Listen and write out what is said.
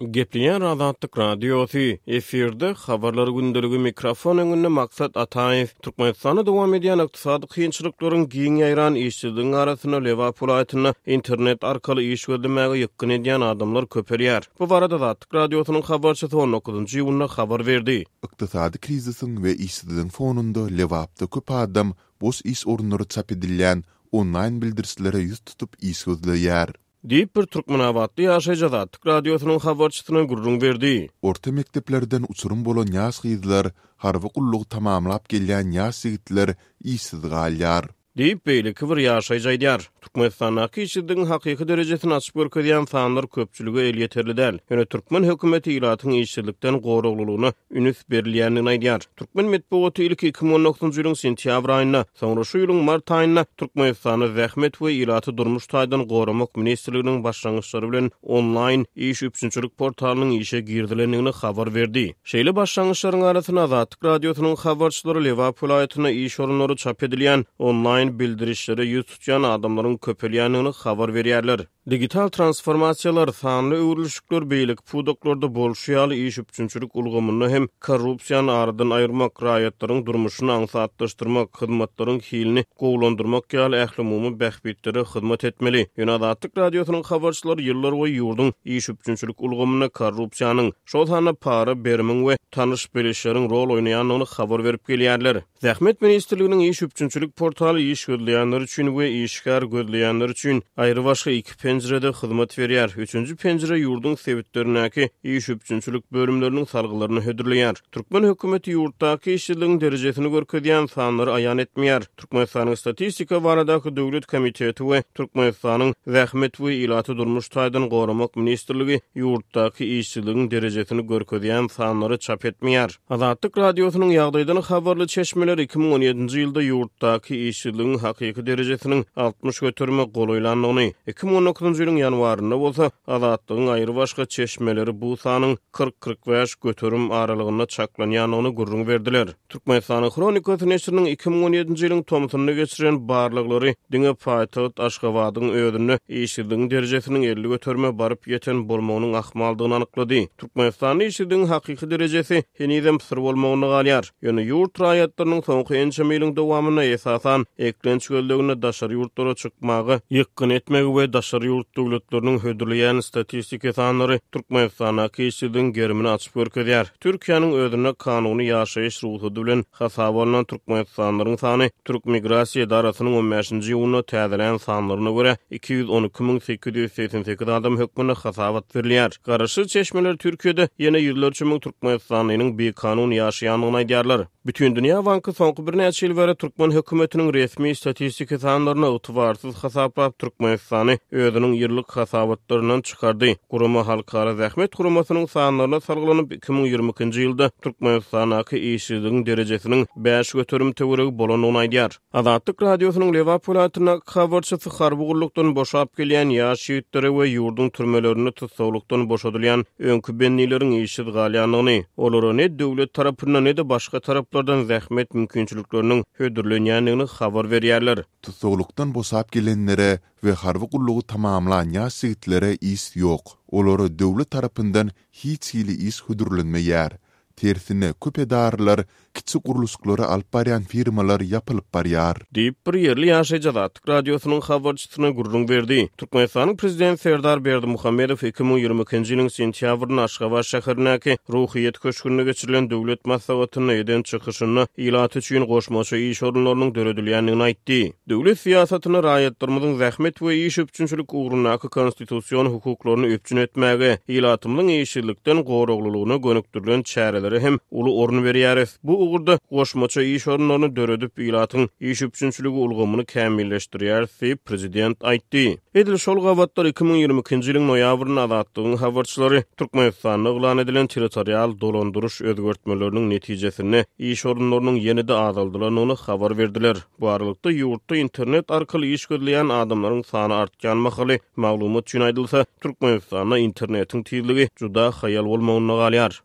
Gepleýär Azatlyk Radiosy, efirde Habarlar gündeligi mikrofon öňünde Maksat Ataýew. Türkmenistanda dowam edýän ykdysady kynçylyklaryň giň ýaýran işsizligiň arasynda Lebap welaýatynda internet arkaly iş gözlemäge ýykgyn edýän adamlar köpelýär. Bu barada Azatlyk Radiosynyň habarçysy on dokuzynjy iýunda habar berdi. Ykdysady krizisiň we işsizligiň fonunda Lebapda köp adam boş iş orunlary çap edilýän onlaýn bildirişlere ýüz tutup iş gözleýär. Diýip, bir türkmenabatly ýaşaýjy Azatlyk Radiosynyň habarçysyna gürrüň berdi. Orta mekdeplerden uçurym bolan ýaş gyzlar, harby gullugy tamamlap gelýän ýaş ýigitler işsiz galýar. Diýip, beýleki bir ýaşaýjy aýdýar. Türkmenistandaky işsizligiň hakyky derejesini açyp görkezýän sanlar köpçülige elýeterli däl. Ýöne türkmen hökümeti ilatyň işsizlikden goraglylygyna ünüs berilýändigini aýdýar. Türkmen metbugaty ilki 2019-njy ýylyň sentýabr aýynda, soňra şu ýylyň mart aýynda Türkmenistanda Zähmet we ilaty durmuş taýdan goramak ministrliginiň başlangyçlary bilen onlaýn iş üpjünçilik portalynyň işe girizilendigini habar berdi. Şeýle başlangyçlaryň arasynda Azatlyk Radiosynyň habarçylary Lebap welaýatynda iş orunlary çap edilýän onlaýn bildirişlere ýüz tutýan adamlaryň köpelýändigini habar berýärler. Digital transformasiýalar, sanly öwrülişikler beýleki pudaklarda bolşy ýaly iş üpjünçilik ulgamynda hem korrupsiýany aradan aýyrmak, raýatlaryň durmuşyny aňsatlaşdyrmak, hyzmatlaryň hilini gowulandyrmak ýaly ählumumy bähbitlere hyzmat etmeli. Ýöne Azatlyk Radiosynyň habarçylary ýyllarboýy ýurduň iş üpjünçilik ulgamynda korrupsiýanyň, şol sanda para berimiň we tanyş-bilişleriň rol oýnaýandygyny habar berip gelýärler. Zähmet ministrliginiň iş üpjünçilik portaly iş gözleýänler üçin we işgär gözleýänler üçin aýrybaşga iki penjirede hyzmat berýär. Üçünji penjire ýurduň sebitlerindäki iş üpjünçilik bölümleriniň salgylaryny hödürleýär. Türkmen hökümeti ýurtdaky işsizligiň derejesini görkezýän sanlary aýan etmeýär. Türkmenistanyň Statistika baradaky döwlet komiteti we Türkmenistanyň Zähmet we ilaty durmuş taýdan goramak ministrligi ýurtdaky işsizligiň derejesini görkezýän sanlary çap etmeýär. Azatlyk Radiosynyň ýagdaýdan habarly çeşmeleri 2017-nji ýylda ýurtdaky işsizligiň hakyky derejesiniň 60 göterime golaýlandygyny, 2019-njy ýylyň ýanwarynda bolsa Azatlygyň aýrybaşga çeşmeleri bu sanyň 40-45 göterim aralygynda çaklanýandygyny gürrüň berdiler. Türkmenistanyň Hronikasy neşiriniň 2017-nji ýylyň tomsunda geçiren barlaglary diňe paýtagt Aşgabadyň özünde işsizligiň derejesiniň 50 göterime baryp ýeten bolmagynyň ahmaldygyny anyklady. Türkmenistanda işsizligiň hakyky derejesi henizem syr bolmagynda galýar. Ýöne ýurt raýatlarynyň soňky ençeme ýylyň dowamynda esasan eklenç gözleginde daşary ýurtlara çykmaga ýykgyn etmegi we daşary ýurt döwletleriniň hödürleýän statistiki sanlary Türkmenistandaky işsizligiň gerimini açyp görkezýär. Türkiýäniň özünde kanuny ýaşaýyş rugsady bilen hasaba alnan türkmenistanlylaryň sany Türkmigrasiýa edarasynyň on bäşinji iýunda täzelän sanlaryna görä, 212 888 adam hökmünde hasabat berilýär. Garaşsyz çeşmeler Türkiýede ýene ýüzlerçe müň türkmenistanlynyň bikanun ýaşaýandygyny aýdýarlar. Bütindünýä banky soňky birnäçe ýyl bäri türkmen hökümetiniň resmi statistiki sanlaryny ygtybarsyz hasaplap, Türkmenistany özüniň ýyllyk hasabatlaryndan çykardy. Gurama Halkara zähmet guramasynyň sanlaryna salgylanyp, 2022-nji ýylda Türkmenistandaky işsizligiň derejesiniň 5% töweregi bolandygyny aýdýar. Azatlyk Radiosynyň Lebap welaýatyndaky habarçysy harby gullukdan boşap gelýän ýaş ýigitlere we ýurduň türmelerinde tussaglykdan boşadylýan öňki bendileriň işsiz galýandygyny, olara ne döwlet tarapyndan, ne-de başga taraplardan zähmet mümkinçilikleriniň hödürlenýändigini habar berýärler. Tussaglykdan boşap gelenlere we harby gullugy tamamlan ýaş ýigitlere iş ýok. Olara döwlet tarapyndan hiç hili iş hödürlenmeýär. Tersine, köp edaralar, kiçi gurluşyklary alyp barýan firmalar ýapylyp barýar. Diýip, bir ýerli ýaşaýjy Azatlyk Radiosynyň habarçysyna gürrüň berdi. Türkmenistanyň Prezidenti Serdar Berdimuhamedow 2022-nji ýylyň sentýabrynda Aşgabat şäherindäki Ruhyýet köşgünde geçirilen döwlet maslahatynda eden çykyşynda ilat üçin goşmaça iş orunlarynyň döredilýändigini aýtdy. Döwlet syýasatynda raýatlarymyzyň zähmet we iş üpjünçilik ugrundaky konstitusion hukuklaryny üpjün etmäge, ilatymyzyň işsizlikden goraglylygyna gönükdirilen çärelere hem uly orun berýäris. Bu ugurda goşmaça iş orunlaryny döredip, ilatyň iş üpjünçiligi ulgamyny kämilleşdirýäris diýip, prezident aýtdy. Edil şol gabatlar 2022-nji ýylyň noýabrynda Azatlygyň habarçylary Türkmenistanda yglan edilen territorial dolandyryş özgertmeleriniň netijesinde iş orunlarynyň ýene-de azaldylandygyny habar berdiler. Bu aralykda, ýurtda internet arkaly iş gözleýän adamlaryň sany artýan mahaly, maglumat üçin aýdylsa, Türkmenistanda internetiň tizligi juda haýal bolmagynda galýar.